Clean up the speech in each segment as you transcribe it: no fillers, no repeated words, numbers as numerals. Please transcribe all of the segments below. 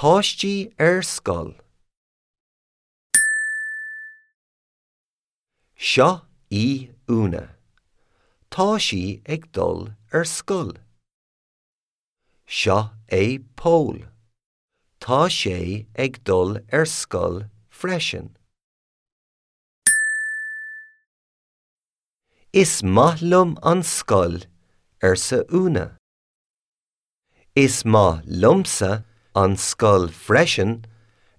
páistí ar scoil. Seo í Úna. Tá sí ag dul ar scoil. Seo é Pól. Tá sé ag dul ar scoil freisin. Is maith liom an scoil, arsa Úna. Is maith liomsa an scoil freisin,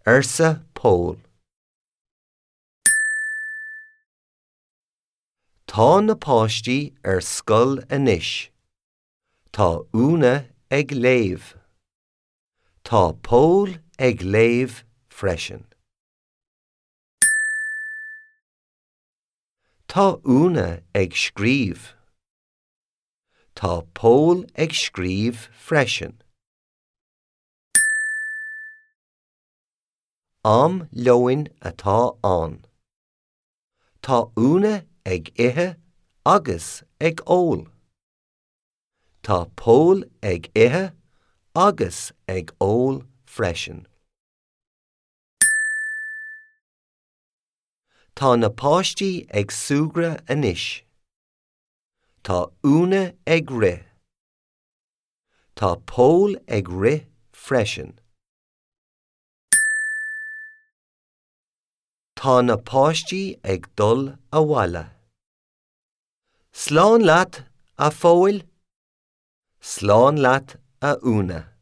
arsa Pól. Tá na páistí ar scoil anois. Tá Úna ag léamh. Tá Pól ag léamh freisin. Tá Úna ag scríobh. Tá Pól ag scríobh freisin. Am lóin atá ann. Tá Úna ag ithe agus ag ól. Tá Pól ag ithe agus ag ól freisin. Tá na páistí ag súgradh anois. Tá Úna ag rith. Tá Pól ag rith freisin. Tá na páistí ag dul abhaile. Slán leat, a Phóil. Slán leat, a Úna.